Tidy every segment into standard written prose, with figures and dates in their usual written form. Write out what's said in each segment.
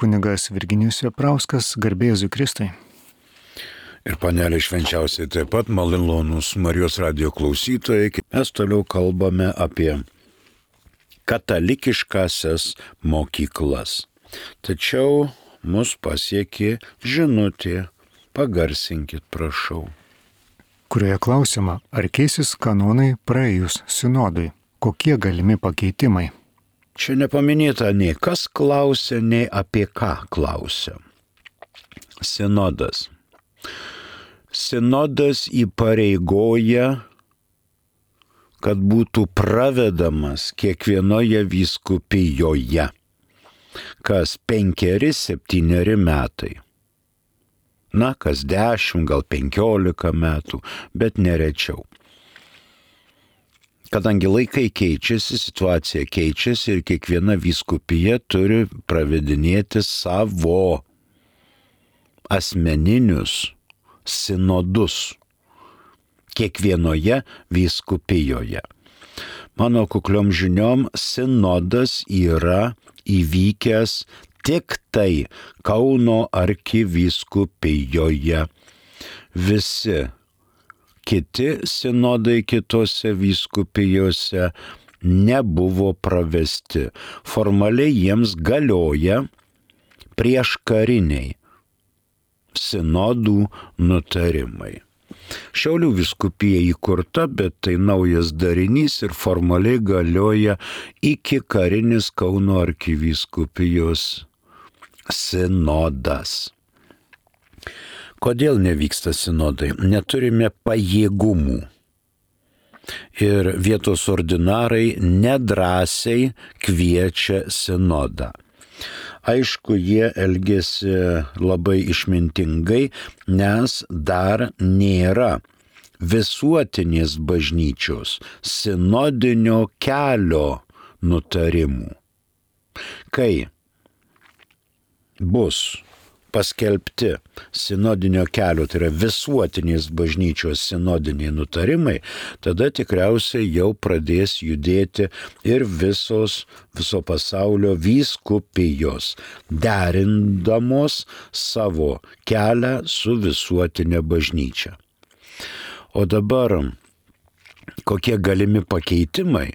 kunigas Virginijus Veprauskas, garbė Jėzui Kristui. Ir panelė švenčiausiai taip pat, malonūs Marijos radijo klausytojai, mes toliau kalbame apie katalikiškasias mokyklas. Tačiau mus pasiekė žinutė, pagarsinkit, prašau. Kurioje klausima, ar keisis kanonai praėjus sinodui, kokie galimi pakeitimai? Čia nepaminėta nei kas klausia, nei apie ką klausia. Sinodas. Sinodas įpareigoja, kad būtų pravedamas kiekvienoje vyskupijoje, kas 5-7 metai. Na, kas 10, gal 15 metų, bet nerečiau. Kadangi laikai keičiasi, situacija keičiasi ir kiekviena vyskupija turi pravedinėti savo asmeninius sinodus kiekvienoje vyskupijoje. Mano kukliom žiniom sinodas yra įvykęs tik tai Kauno arkivyskupijoje. Visi kiti sinodai kitose vyskupijose nebuvo pravesti. Formaliai jiems galioja prieškariniai sinodų nutarimai. Šiaulių vyskupija įkurta, bet tai naujas darinys ir formaliai galioja iki karinis Kauno arkivyskupijos sinodas. Kodėl nevyksta sinodai? Neturime pajėgumų. Ir vietos ordinarai nedrąsiai kviečia sinodą. Aišku, jie elgėsi labai išmintingai, nes dar nėra visuotinės bažnyčios sinodinio kelio nutarimų. Kai bus paskelbti sinodinio kelio, tai yra visuotinės bažnyčios sinodiniai nutarimai, tada tikriausiai jau pradės judėti ir viso pasaulio vyskupijos, derindamos savo kelią su visuotinė bažnyčia. O dabar kokie galimi pakeitimai?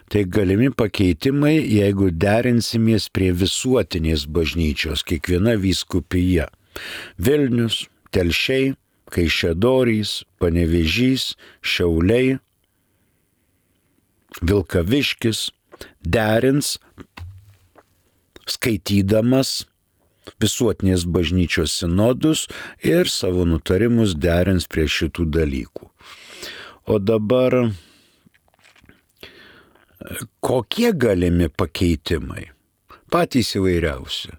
Tai galimi pakeitimai, jeigu derinsimės prie visuotinės bažnyčios, kiekviena vyskupija. Vilnius, Telšiai, Kaišiadorys, Panevėžys, Šiauliai, Vilkaviškis derins, skaitydamas visuotinės bažnyčios sinodus ir savo nutarimus derins prie šitų dalykų. O dabar kokie galimi pakeitimai? Patys įvairiausi,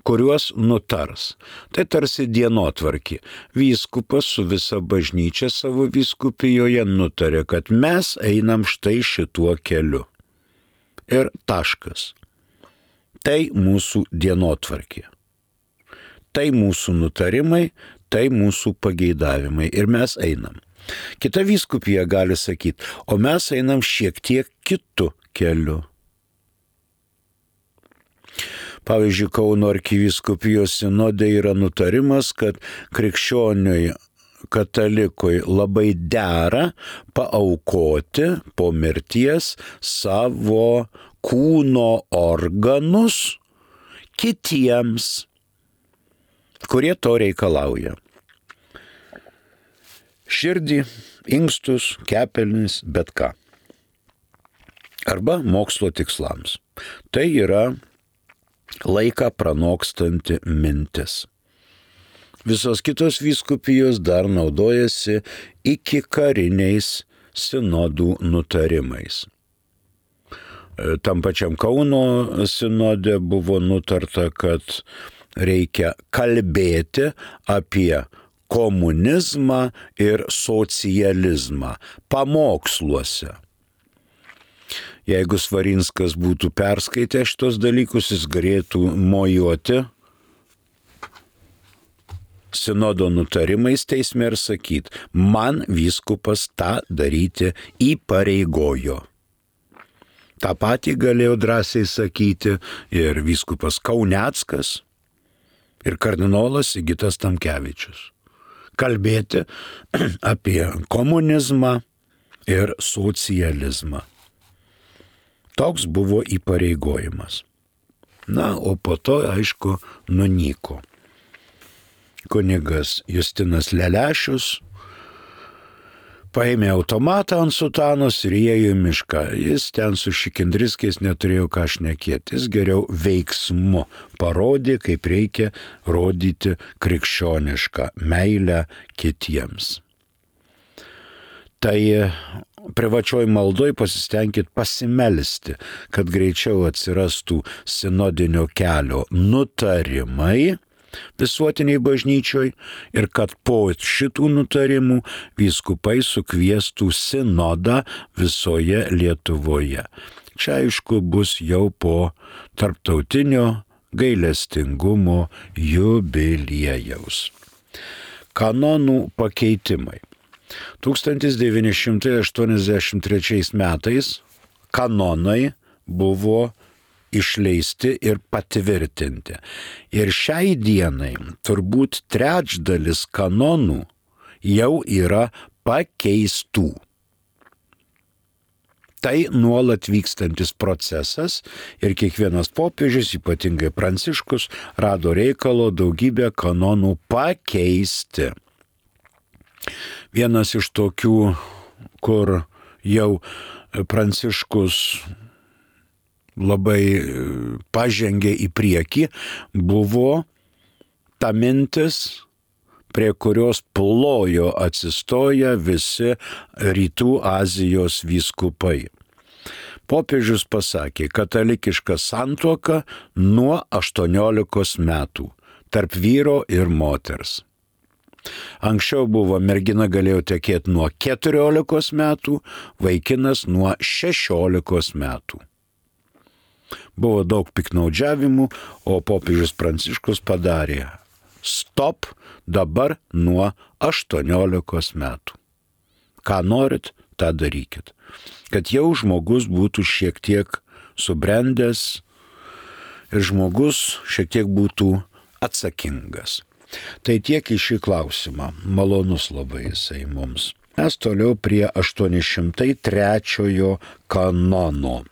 kuriuos nutars. Tai tarsi dienotvarkė. Vyskupas su visa bažnyčia savo vyskupijoje nutarė, kad mes einam štai šituo keliu. Ir taškas. Tai mūsų dienotvarkė. Tai mūsų nutarimai, tai mūsų pageidavimai. Ir mes einam. Kita vyskupija gali sakyti, o mes einam šiek tiek kitu keliu. Pavyzdžiui, Kauno arkivyskupijos sinode yra nutarimas, kad krikščioniui katalikui labai dera paaukoti po mirties savo kūno organus kitiems, kurie to reikalauja. Širdį, inkstus, kepenis, bet ką. Arba mokslo tikslams. Tai yra laiką pranokstanti mintis. Visos kitos vyskupijos dar naudojasi iki kariniais sinodų nutarimais. Tam pačiam Kauno sinode buvo nutarta, kad reikia kalbėti apie komunizmą ir socializmą pamoksluose. Jeigu Svarinskas būtų perskaitęs šitos dalykus, jis galėtų mojuoti sinodo nutarimais teisme ir sakyti, man vyskupas tą daryti įpareigojo. Ta patį galėjo drąsiai sakyti ir vyskupas Kauneckas, ir kardinolas Sigitas Tamkevičius. Kalbėti apie komunizmą ir socializmą. Toks buvo įpareigojimas. Na, o po to, aišku, nunyko. Kunigas Justinas Lelešius paėmė automatą ant sutanos ir įėjo į mišką. Jis ten su Šikindriskiais neturėjo ką šnekėti. Jis geriau veiksmu parodė, kaip reikia rodyti krikščionišką meilę kitiems. Tai privačioj maldoj pasistengkit pasimelsti, kad greičiau atsirastų sinodinio kelio nutarimai visuotiniai bažnyčioj ir kad po šitų nutarimų vyskupai sukviestų sinodą visoje Lietuvoje. Čia aišku bus jau po tarptautinio gailestingumo jubiliejaus. Kanonų pakeitimai. 1983 metais kanonai buvo išleisti ir patvirtinti. Ir šiai dienai turbūt trečdalis kanonų jau yra pakeistų. Tai nuolat vykstantis procesas ir kiekvienas popiežius, ypatingai Pranciškus, rado reikalo daugybę kanonų pakeisti. Vienas iš tokių, kur jau Pranciškus labai pažengė į priekį, buvo ta mintis, prie kurios plojo atsistoję visi Rytų Azijos vyskupai. Popiežius pasakė, katalikiška santuoka nuo 18 metų tarp vyro ir moters. Anksčiau buvo mergina galėjo tekėti nuo 14 metų, vaikinas nuo 16 metų. Buvo daug piknaudžiavimų, o popiežius Pranciškus padarė stop dabar nuo 18 metų. Ką norit, tą darykit. Kad jau žmogus būtų šiek tiek subrendęs ir žmogus šiek tiek būtų atsakingas. Tai tiek į šį klausimą. Malonus labai jisai mums. Mes toliau prie 803 kanono.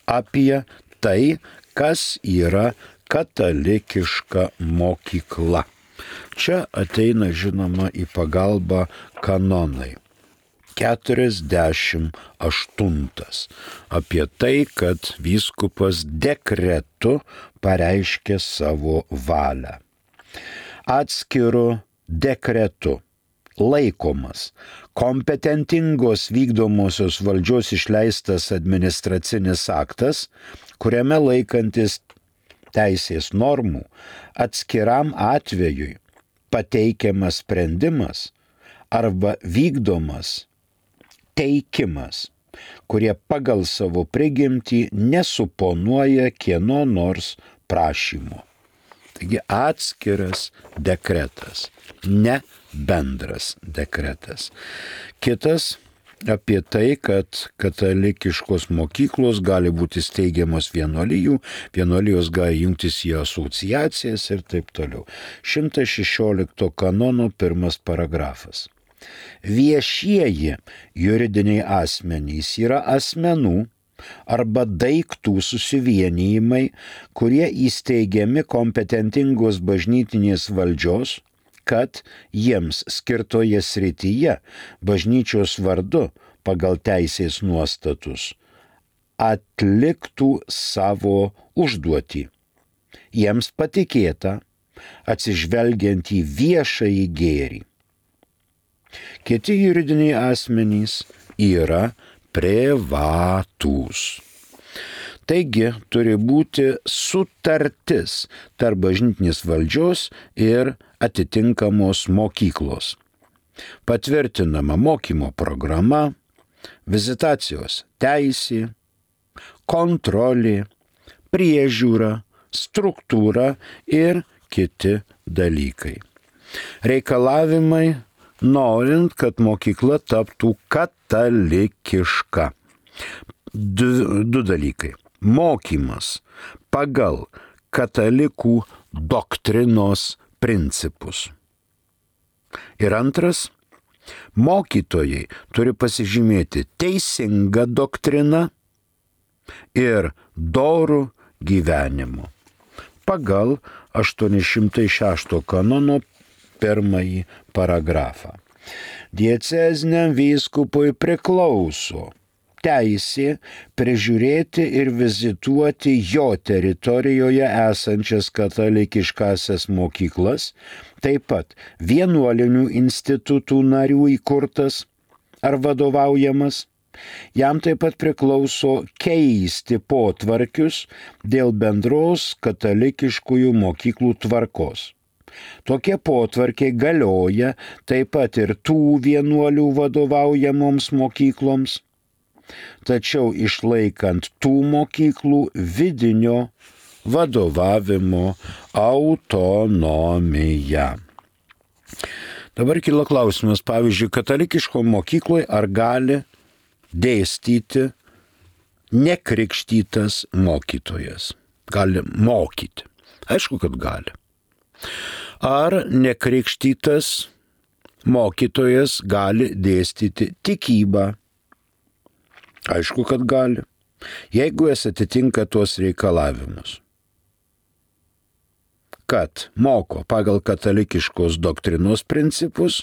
Apie tai, kas yra katalikiška mokykla. Čia ateina, žinoma, į pagalbą kanonai. 48. Apie tai, kad vyskupas dekretu pareiškė savo valią. Atskiru dekretu laikomas kompetentingos vykdomosios valdžios išleistas administracinis aktas, kuriame laikantis teisės normų atskiram atvejui pateikiamas sprendimas arba vykdomas teikimas, kurie pagal savo prigimtį nesuponuoja kieno nors prašymo. Taigi atskiras dekretas, ne bendras dekretas. Kitas apie tai, kad katalikiškos mokyklos gali būti steigiamos vienuolijų, vienuolijos gali jungtis į asociacijas ir taip toliau. 116 kanono 1 paragrafas. Viešieji juridiniai asmenys yra asmenų arba daiktų susivienijimai, kurie įsteigiami kompetentingos bažnytinės valdžios, kad jiems skirtoje srityje bažnyčios vardu pagal teisės nuostatus atliktų savo užduotį. Jiems patikėta atsižvelgiant į viešąjį gėrį. Kiti juridiniai asmenys yra privatūs. Taigi turi būti sutartis tarp bažnytinės valdžios ir atitinkamos mokyklos. Patvirtinama mokymo programa, vizitacijos teisė, kontrolė, priežiūra, struktūra ir kiti dalykai. Reikalavimai, norint, kad mokykla taptų katalikiška. Du dalykai. Mokymas pagal katalikų doktrinos principus. Ir antras, mokytojai turi pasižymėti teisingą doktriną ir dorų gyvenimu. Pagal 806 kanono 1 paragrafą. Dieceziniam vyskupui priklauso teisė prižiūrėti ir vizituoti jo teritorijoje esančias katalikiškasias mokyklas, taip pat vienuolinių institutų narių įkurtas ar vadovaujamas. Jam taip pat priklauso keisti potvarkius dėl bendros katalikiškųjų mokyklų tvarkos. Tokie potvarkiai galioja taip pat ir tų vienuolių vadovaujamoms mokykloms, tačiau išlaikant tų mokyklų vidinio vadovavimo autonomiją. Dabar kyla klausimas, pavyzdžiui, katalikiško mokykloje ar gali dėstyti nekrikštytas mokytojas? Gali mokyti. Aišku, kad gali. Ar nekrikštytas mokytojas gali dėstyti tikybą? Aišku, kad gali, jeigu jis atitinka tuos reikalavimus, kad moko pagal katalikiškos doktrinos principus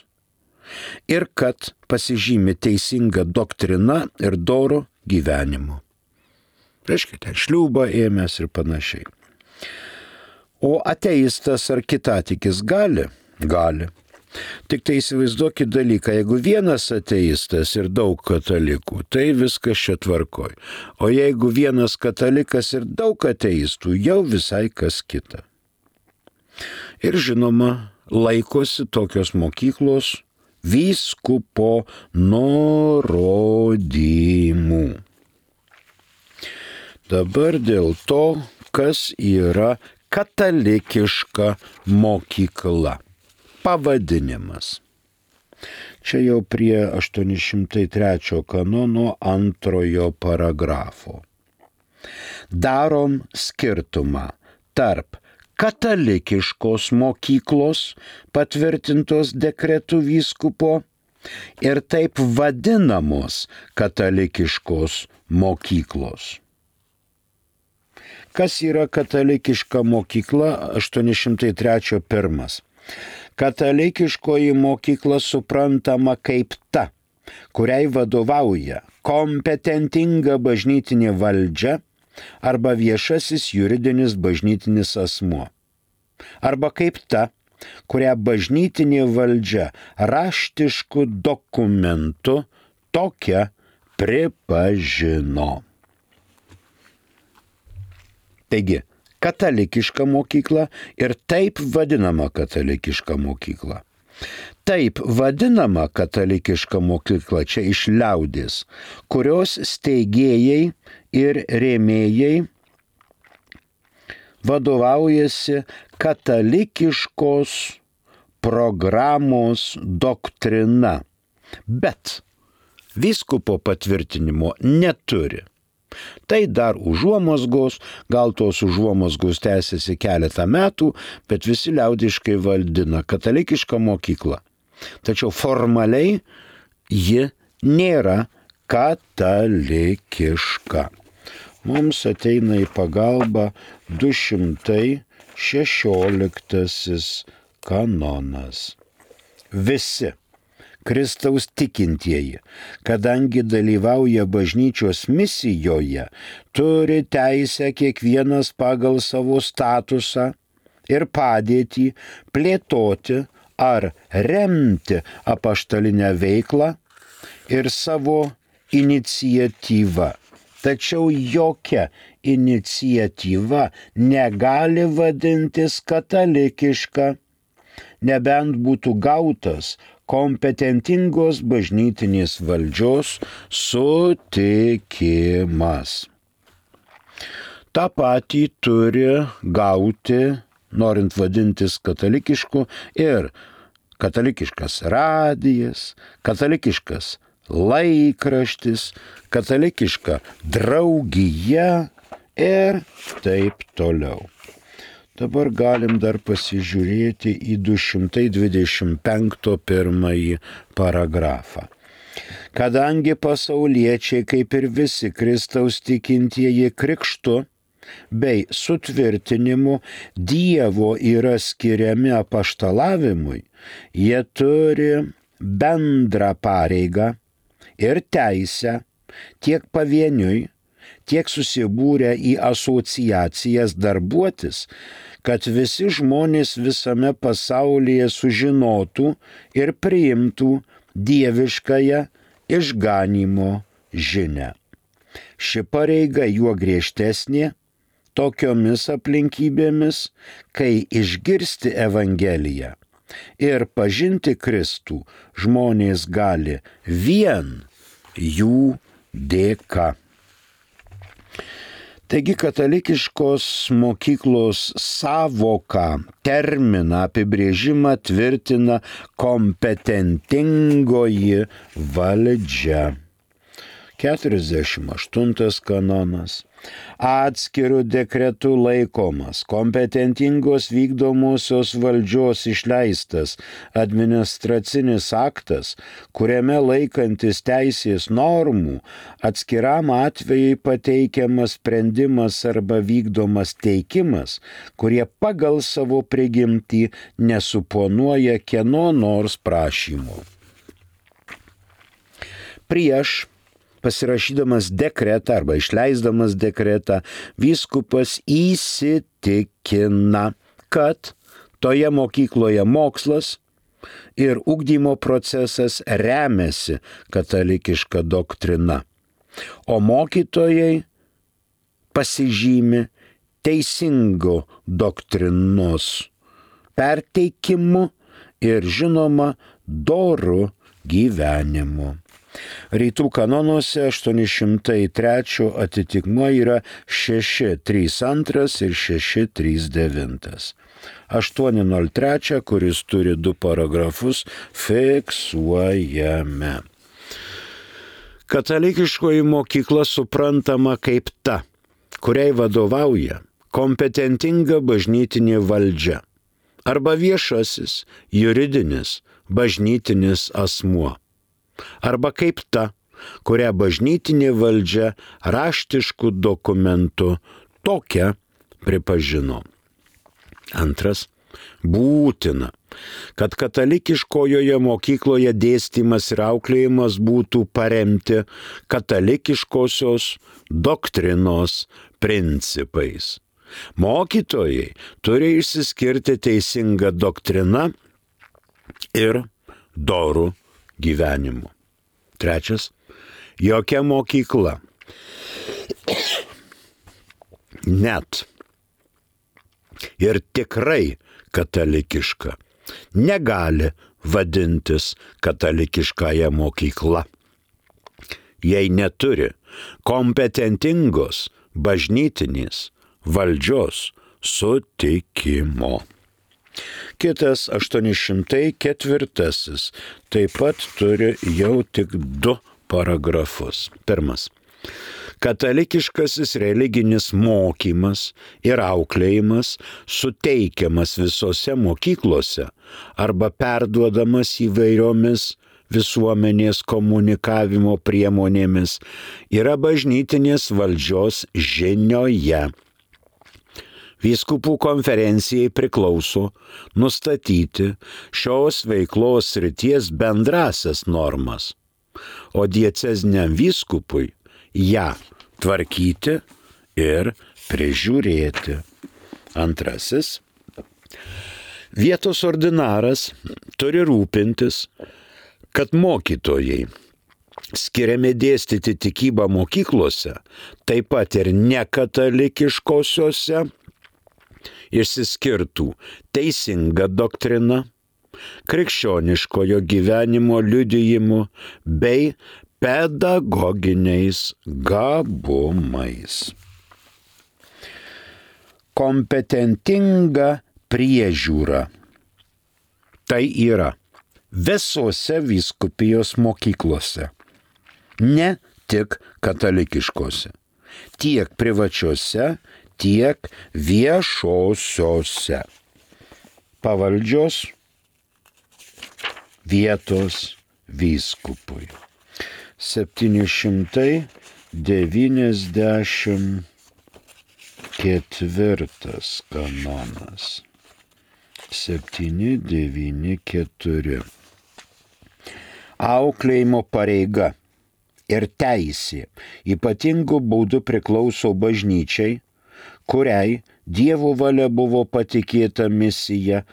ir kad pasižymi teisinga doktrina ir doru gyvenimu. Reiškia, ten šliūbą ėmęs ir panašiai. O ateistas ar kitatikis gali? Gali. Tik tai įsivaizduokit dalyką, jeigu vienas ateistas ir daug katalikų, tai viskas čia tvarkoj. O jeigu vienas katalikas ir daug ateistų, jau visai kas kita. Ir žinoma, laikosi tokios mokyklos vyskupo nurodymų. Dabar dėl to, kas yra katalikiška mokykla. Pavadinimas. Čia jau prie 803 kanono 2 paragrafo. Darom skirtumą tarp katalikiškos mokyklos patvirtintos dekretų vyskupo ir taip vadinamos katalikiškos mokyklos. Kas yra katalikiška mokykla? 803.1. Katalikiškoji mokykla suprantama kaip ta, kuriai vadovauja kompetentinga bažnytinė valdžia arba viešasis juridinis bažnytinis asmuo. Arba kaip ta, kurią bažnytinė valdžia raštišku dokumentu tokia pripažino. Taigi, katalikiška mokykla ir taip vadinama katalikiška mokykla. Taip vadinama katalikiška mokykla čia iš liaudės, kurios steigėjai ir rėmėjai vadovaujasi katalikiškos programos doktrina, bet vyskupo patvirtinimo neturi. Tai dar užuomazgos, gal tos užuomazgos tęsiasi keletą metų, bet visi liaudiškai vadina katalikišką mokyklą. Tačiau formaliai ji nėra katalikiška. Mums ateina į pagalbą 216 kanonas. Visi Kristaus tikintieji, kadangi dalyvauja bažnyčios misijoje, turi teisę kiekvienas pagal savo statusą ir padėtį plėtoti ar remti apaštalinę veiklą ir savo iniciatyvą. Tačiau jokia iniciatyva negali vadintis katalikiška, nebent būtų gautas kompetentingos bažnytinės valdžios sutikimas. Ta patį turi gauti, norint vadintis katalikišku, ir katalikiškas radijas, katalikiškas laikraštis, katalikiška draugija ir taip toliau. Dabar galim dar pasižiūrėti į 225 pirmąjį paragrafą. Kadangi pasauliečiai, kaip ir visi Kristaus tikintieji krikštu bei sutvirtinimu Dievo yra skiriami apaštalavimui, jie turi bendrą pareigą ir teisę tiek pavieniui, tiek susibūrę į asociacijas darbuotis, kad visi žmonės visame pasaulyje sužinotų ir priimtų dieviškąją išganymo žinią. Ši pareiga juo griežtesnė tokiomis aplinkybėmis, kai išgirsti Evangeliją ir pažinti Kristų žmonės gali vien jų dėka. Taigi katalikiškos mokyklos sąvoką, terminą, apibrėžimą tvirtina kompetentingoji valdžia. 48 kanonas. Atskirų dekretų laikomas kompetentingos vykdomosios valdžios išleistas administracinis aktas, kuriame laikantis teisės normų atskiram atvejai pateikiamas sprendimas arba vykdomas teikimas, kurie pagal savo prigimtį nesuponuoja kieno nors prašymų. Prieš pasirašydamas dekretą arba išleisdamas dekretą, vyskupas įsitikina, kad toje mokykloje mokslas ir ugdymo procesas remiasi katalikiška doktrina, o mokytojai pasižymi teisingo doktrinos perteikimu ir žinoma doru gyvenimu. Rytų kanonuose 803 atitikmuo yra 632 ir 639. 803, kuris turi 2 paragrafus, fiksuojame. Katalikiškoji mokykla suprantama kaip ta, kuriai vadovauja kompetentinga bažnytinė valdžia arba viešasis, juridinis, bažnytinis asmuo. Arba kaip ta, kurią bažnytinė valdžia raštiškų dokumentų tokią pripažino. Antras, būtina, kad katalikiškojoje mokykloje dėstymas ir auklėjimas būtų paremti katalikiškosios doktrinos principais. Mokytojai turi išsiskirti teisinga doktrina ir doru gyvenimu. Trečias, jokia mokykla, net ir tikrai katalikiška, negali vadintis katalikiškąja mokykla, jei neturi kompetentingos bažnytinės valdžios sutikimo. Kitas 804 taip pat turi jau tik 2 paragrafus. Pirmas. Katalikiškasis religinis mokymas ir auklėjimas suteikiamas visose mokyklose arba perduodamas įvairiomis visuomenės komunikavimo priemonėmis yra bažnytinės valdžios žinioje. Vyskupų konferencijai priklauso nustatyti šios veiklos srities bendrasias normas, o dieceziniam vyskupui ją tvarkyti ir prižiūrėti. Antrasis. Vietos ordinaras turi rūpintis, kad mokytojai skiriami dėstyti tikybą mokyklose, taip pat ir nekatalikiškosiose, išsiskirtų teisinga doktrina, krikščioniškojo gyvenimo liudijimu bei pedagoginiais gabumais. Kompetentinga priežiūra. Tai yra visose vyskupijos mokyklose, ne tik katalikiškose, tiek privačiose, tiek viešosiose pavaldžios vietos vyskupui. 794 kanonas. 794. Auklėjimo pareiga ir teisė ypatingų būdų priklauso bažnyčiai, kuriai Dievo valia buvo patikėta misija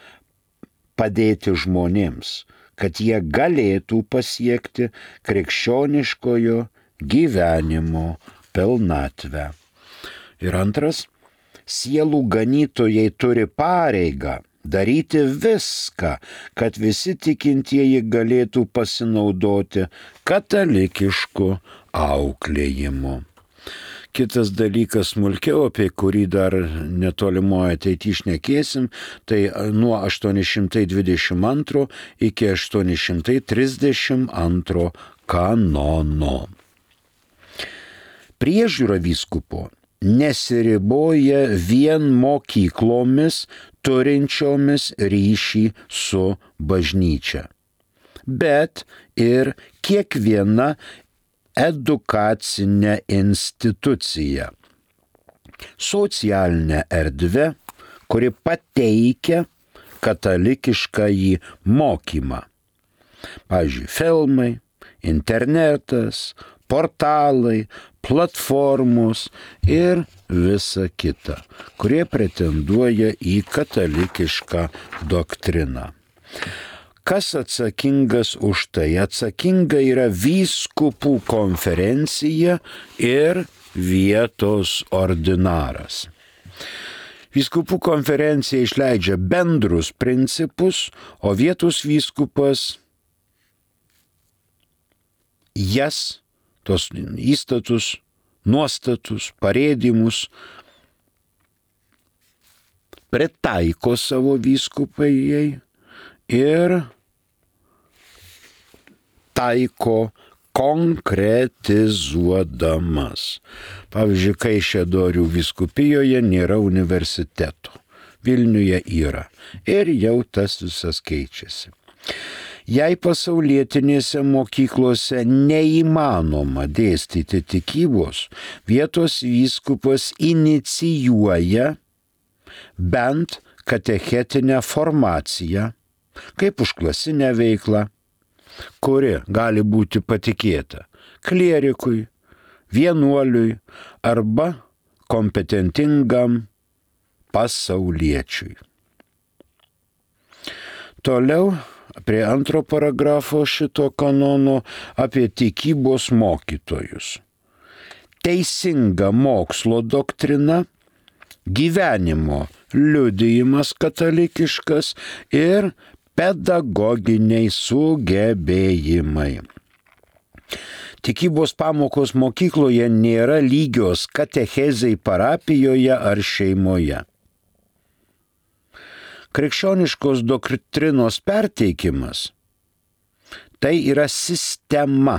padėti žmonėms, kad jie galėtų pasiekti krikščioniškojo gyvenimo pilnatvę. Ir antras, sielų ganytojai turi pareigą daryti viską, kad visi tikintieji galėtų pasinaudoti katalikišku auklėjimu. Kitas dalykas smulkiau, apie kurį dar netolimoje ateityje šnekėsim, tai nuo 822 iki 832 kanono. Priežiūra vyskupo nesiriboja vien mokyklomis turinčiomis ryšį su bažnyčia, bet ir kiekviena edukacinė institucija, socialinė erdvė, kuri pateikia katalikiškąjį mokymą. Pavyzdžiui, filmai, internetas, portalai, platformos ir visa kita, kurie pretenduoja į katalikišką doktriną. Kas atsakingas už tai? Atsakinga yra vyskupų konferencija ir vietos ordinaras. Vyskupų konferencija išleidžia bendrus principus, o vietos vyskupas jas, tos įstatus, nuostatus, parėdimus pritaiko savo vyskupijai ir taiko konkretizuodamas. Pavyzdžiui, Kaišiadorių vyskupijoje nėra universiteto, Vilniuje yra ir jau tas visas keičiasi. Jei pasaulietinėse mokyklose neįmanoma dėstyti tikybos, vietos vyskupas inicijuoja bent katechetinę formaciją, kaip užklasinę veiklą, kuri gali būti patikėta klierikui, vienuoliui arba kompetentingam pasauliečiui. Toliau prie antro paragrafo šito kanono apie tikybos mokytojus. Teisinga mokslo doktrina, gyvenimo liudijimas katalikiškas ir pedagoginiai sugebėjimai. Tikybos pamokos mokykloje nėra lygios katechezei parapijoje ar šeimoje. Krikščioniškos doktrinos perteikimas tai yra sistema,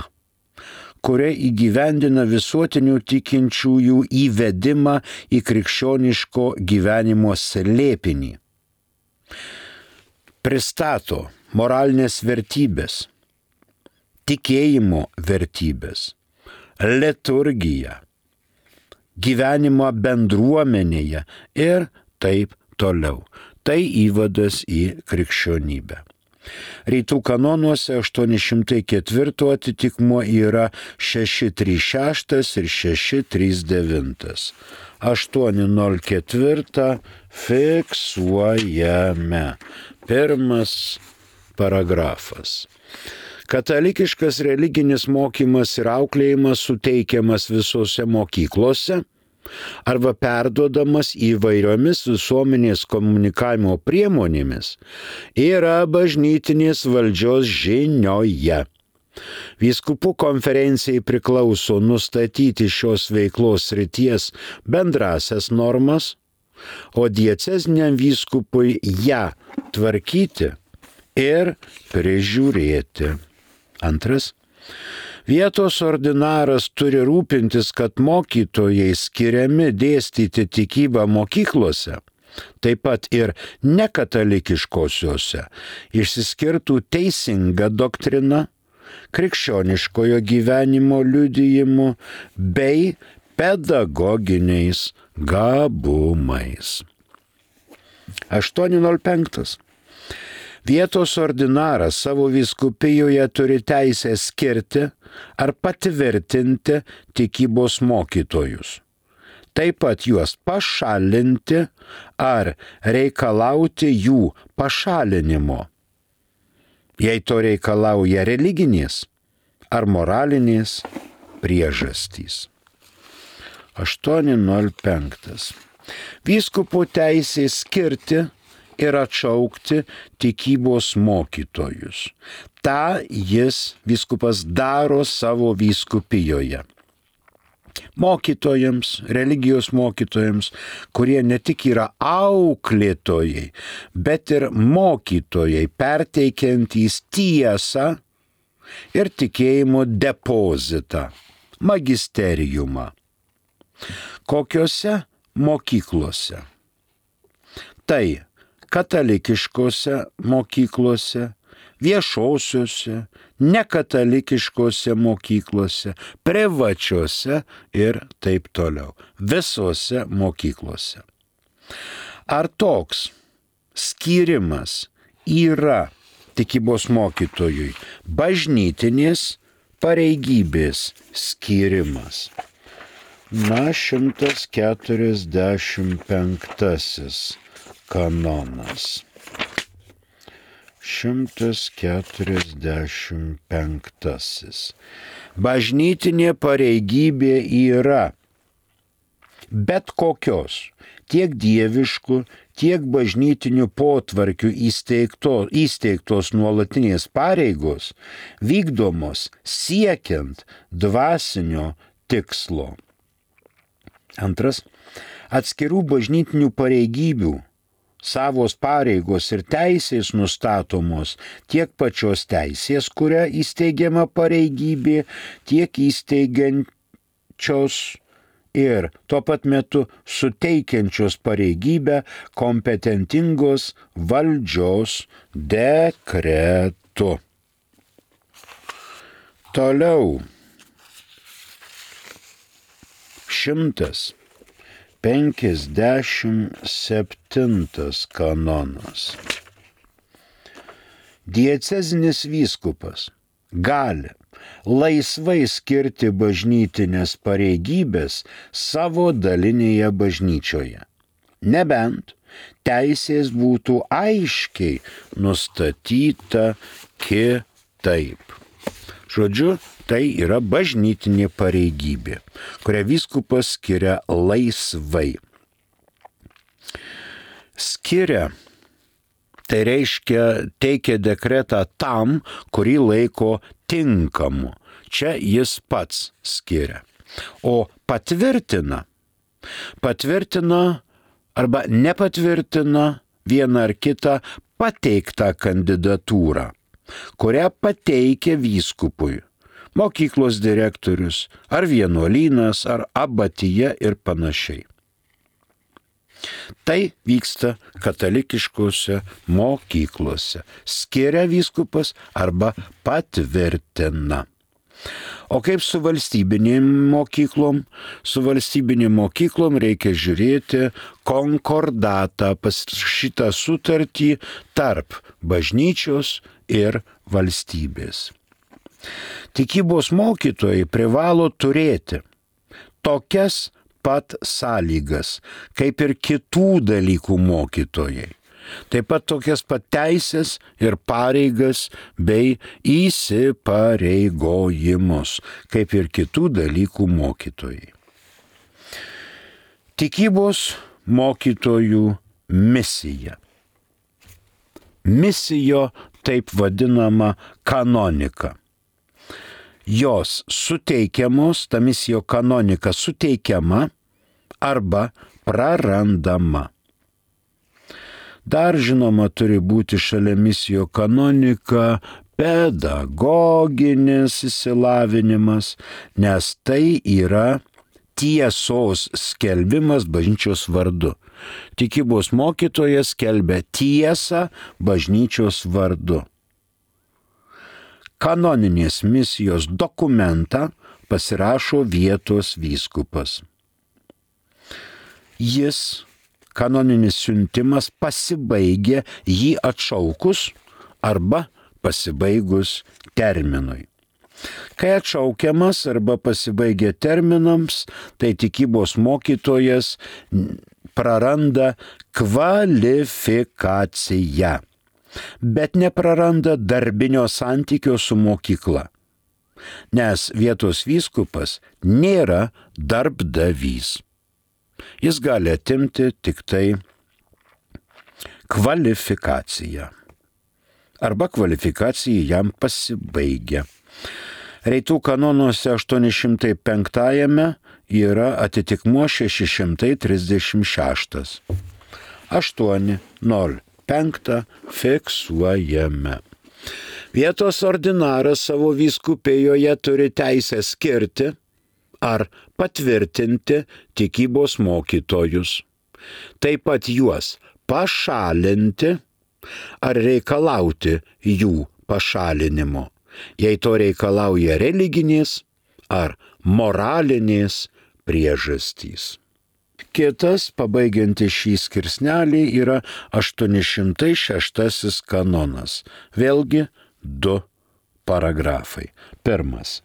kuria įgyvendina visuotinių tikinčiųjų įvedimą į krikščioniško gyvenimo slėpinį. Pristato moralinės vertybės, tikėjimo vertybės, liturgiją, gyvenimą bendruomenėje ir taip toliau. Tai įvadas į krikščionybę. Rytų kanonuose 804 atitikmuo yra 636 ir 639. 804 fiksuojame. Pirmas paragrafas. Katalikiškas religinis mokymas ir auklėjimas suteikiamas visose mokyklose arba perduodamas įvairiomis visuomenės komunikavimo priemonėmis yra bažnytinės valdžios žinioje. Vyskupų konferencijai priklauso nustatyti šios veiklos srities bendrasias normas, o dieceziniam vyskupui ją tvarkyti ir prižiūrėti. Antras. Vietos ordinaras turi rūpintis, kad mokytojai skiriami dėstyti tikybą mokyklose, taip pat ir nekatalikiškosiuose, išsiskirtų teisinga doktrina, krikščioniškojo gyvenimo liudijimu bei pedagoginiais gabumais. 8.05. Vietos ordinaras savo vyskupijoje turi teisę skirti ar patvirtinti tikybos mokytojus. Taip pat juos pašalinti ar reikalauti jų pašalinimo, jei to reikalauja religinės ar moralinės priežastys. 8.05. Vyskupo teisė skirti ir atšaukti tikybos mokytojus. Ta jis, vyskupas, daro savo vyskupijoje. Mokytojams, religijos mokytojams, kurie ne tik yra auklėtojai, bet ir mokytojai, perteikiantys tiesą ir tikėjimo depozitą, magisteriumą. Kokiose mokyklose? Tai katalikiškose mokyklose, viešosiuose, nekatalikiškose mokyklose, privačiose ir taip toliau. Visose mokyklose. Ar toks skyrimas yra tikybos mokytojui bažnytinės pareigybės skyrimas? 145 kanonas. 145. Bažnytinė pareigybė yra bet kokios, tiek dieviškų, tiek bažnytinių potvarkių įsteigtos nuolatinės pareigos, vykdomos siekiant dvasinio tikslo. Antras, atskirų bažnytinių pareigybių, savos pareigos ir teisės nustatomos tiek pačios teisės, kuria įsteigiama pareigybė, tiek įsteigiančios ir tuo pat metu suteikiančios pareigybę kompetentingos valdžios dekretu. Toliau. 157 kanonas. Diecezinis vyskupas gali laisvai skirti bažnytinės pareigybės savo dalinėje bažnyčioje, nebent teisės būtų aiškiai nustatyta kitaip. Žodžiu, tai yra bažnytinė pareigybė, kurią vyskupas skiria laisvai. Skiria, tai reiškia teikia dekretą tam, kurį laiko tinkamu. Čia jis pats skiria. O patvirtina arba nepatvirtina vieną ar kitą pateiktą kandidatūrą, kurią pateikia vyskupui mokyklos direktorius, ar vienuolynas, ar abatija ir panašiai. Tai vyksta katalikiškose mokyklose. Skiria vyskupas arba patvirtina. O kaip su valstybinėm mokyklom? Su valstybinėm mokyklom reikia žiūrėti konkordatą, šitą sutartį tarp bažnyčios ir valstybės. Tikybos mokytojai privalo turėti tokias pat sąlygas, kaip ir kitų dalykų mokytojai. Taip pat tokias pat teisės ir pareigas bei įsipareigojimus, kaip ir kitų dalykų mokytojai. Tikybos mokytojų misija. Misijo taip vadinama kanonika. Jos suteikiamos, ta misijo kanonika suteikiama arba prarandama. Dar žinoma turi būti šalia misijo kanonika pedagoginis išsilavinimas, nes tai yra tiesos skelbimas bažnyčios vardu. Tikybos mokytojas skelbia tiesą bažnyčios vardu. Kanoninės misijos dokumentą pasirašo vietos vyskupas. Jis, kanoninis siuntimas, pasibaigia jį atšaukus arba pasibaigus terminui. Kai atšaukiamas arba pasibaigia terminams, tai tikybos mokytojas praranda kvalifikaciją, bet nepraranda darbinio santykio su mokykla, nes vietos vyskupas nėra darbdavys. Jis gali atimti tik tai kvalifikaciją arba kvalifikacija jam pasibaigia. Reitų kanonuose 805 yra atitikmuo 636. 805 fiksuojame. Vietos ordinaras savo vyskupijoje turi teisę skirti ar patvirtinti tikybos mokytojus. Taip pat juos pašalinti ar reikalauti jų pašalinimo, jei to reikalauja religinės ar moralinės priežastys. Kitas, pabaigiantis šį skirsnelį, yra 806 kanonas. Vėlgi 2 paragrafai. Pirmas.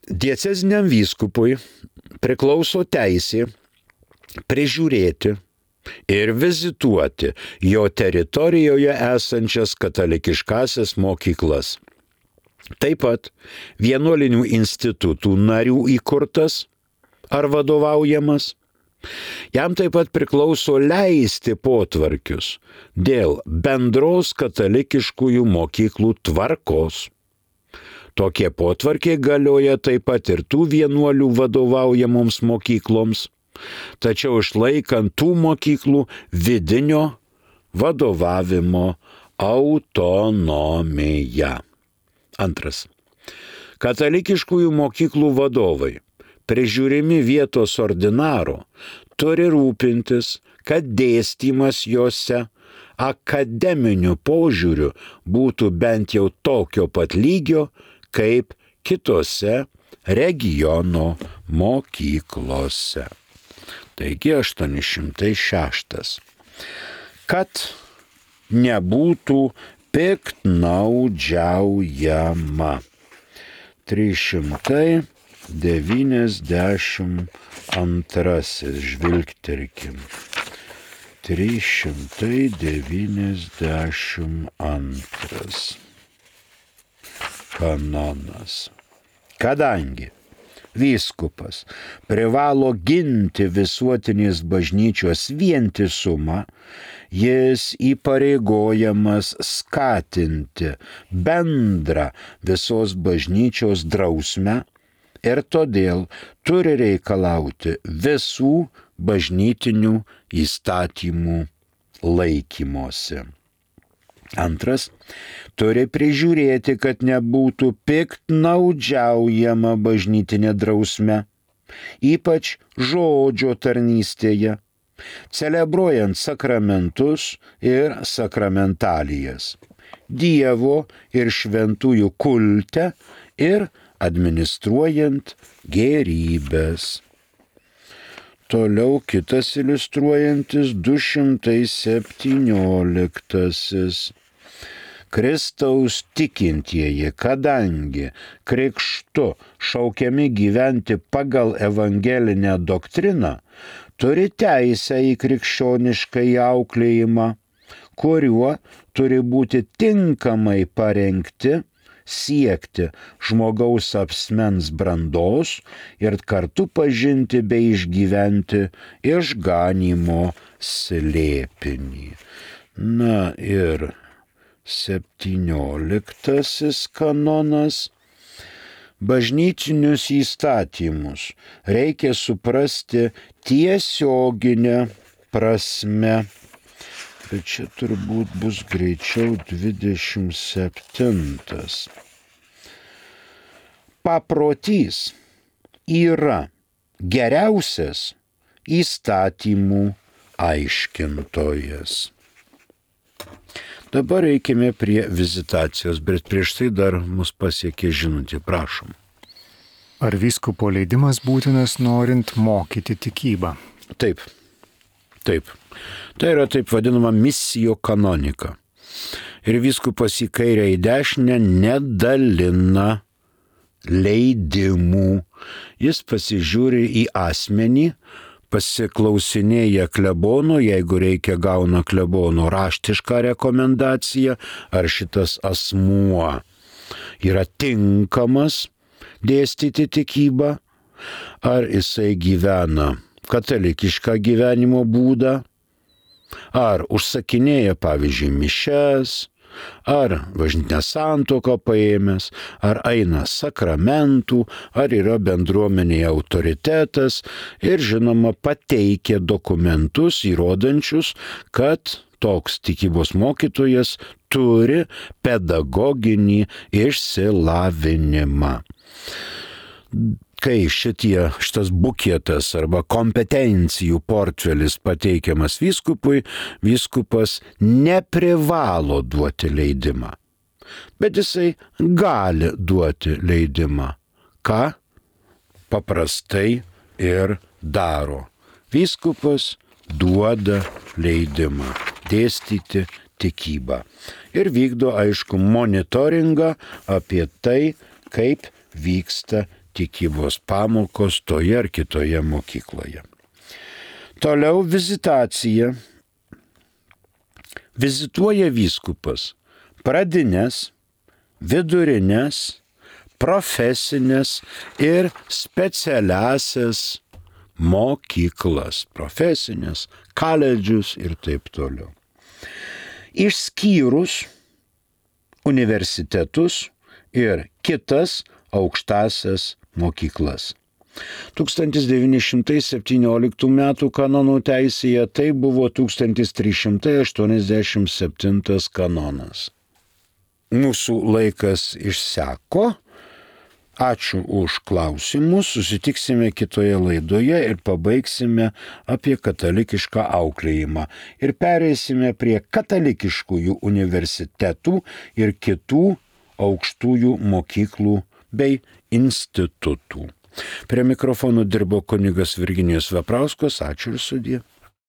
Dieceziniam vyskupui priklauso teisė prižiūrėti ir vizituoti jo teritorijoje esančias katalikiškasias mokyklas. Taip pat vienuolinių institutų narių įkurtas ar vadovaujamas. Jam taip pat priklauso leisti potvarkius dėl bendros katalikiškųjų mokyklų tvarkos. Tokie potvarkiai galioja taip pat ir tų vienuolių vadovaujamoms mokykloms, tačiau išlaikant tų mokyklų vidinio vadovavimo autonomiją. Antras. Katalikiškųjų mokyklų vadovai, prižiūrimi vietos ordinaro, turi rūpintis, kad dėstymas jose akademiniu požiūriu būtų bent jau tokio pat lygio, kaip kitose regiono mokyklose. Taigi 806. Kad nebūtų piktnaudžiaujama. 392. Žvilgterkim. 392. Kanonas. Kadangi vyskupas privalo ginti visuotinės bažnyčios vientisumą, jis įpareigojamas skatinti bendrą visos bažnyčios drausmę ir todėl turi reikalauti visų bažnytinių įstatymų laikymosi. Antras, turi prižiūrėti, kad nebūtų piktnaudžiaujama bažnytinė drausme, ypač žodžio tarnystėje, celebruojant sakramentus ir sakramentalijas, Dievo ir šventųjų kulte ir administruojant gėrybės. Toliau kitas iliustruojantis 217. Kristaus tikintieji, kadangi krikštu šaukiami gyventi pagal evangelinę doktriną, turi teisę į krikščionišką auklėjimą, kuriuo turi būti tinkamai parengti siekti žmogaus asmens brandos ir kartu pažinti bei išgyventi išganymo slėpinį. Na ir 17 kanonas. Bažnytinius įstatymus reikia suprasti tiesioginę prasme. Tai čia turbūt bus greičiau 27. Paprotys yra geriausias įstatymų aiškintojas. Dabar eikime prie vizitacijos, bet prieš tai dar mus pasiekė žinutė, prašom. Ar vyskupo leidimas būtinas norint mokyti tikybą? Taip. Tai yra taip vadinama missio canonica. Ir vyskupas į kairę į dešinę nedalina leidimų. Jis pasižiūri į asmenį, pasiklausinėja klebono, jeigu reikia gauna klebono raštišką rekomendaciją, ar šitas asmuo yra tinkamas dėstyti tikybą, ar jisai gyvena katalikišką gyvenimo būdą, ar užsakinėja, pavyzdžiui, mišias, ar bažnytinę santuoką paėmęs, ar eina sakramentų, ar yra bendruomenėje autoritetas ir, žinoma, pateikia dokumentus įrodančius, kad toks tikybos mokytojas turi pedagoginį išsilavinimą. Kai šitas buketas arba kompetencijų portfelis pateikiamas vyskupui, vyskupas neprivalo duoti leidimą. Bet jisai gali duoti leidimą. Ką paprastai ir daro. Vyskupas duoda leidimą dėstyti tikybą. Ir vykdo, aišku, monitoringą apie tai, kaip vyksta tikybos pamokos toje ar kitoje mokykloje. Toliau vizitacija. Vizituoja vyskupas pradines, vidurinės, profesinės ir specialiasias mokyklas. Profesinės, koledžius ir taip toliau. Išskyrus universitetus ir kitas aukštasias mokyklas. 1917 m. kanonų teisėje tai buvo 1387 kanonas. Mūsų laikas išseko. Ačiū už klausimus. Susitiksime kitoje laidoje ir pabaigsime apie katalikišką auklėjimą. Ir pereisime prie katalikiškųjų universitetų ir kitų aukštųjų mokyklų bei institutų. Prie mikrofonų dirbo kunigas Virginijus Veprauskas. Ačiū ir sudie.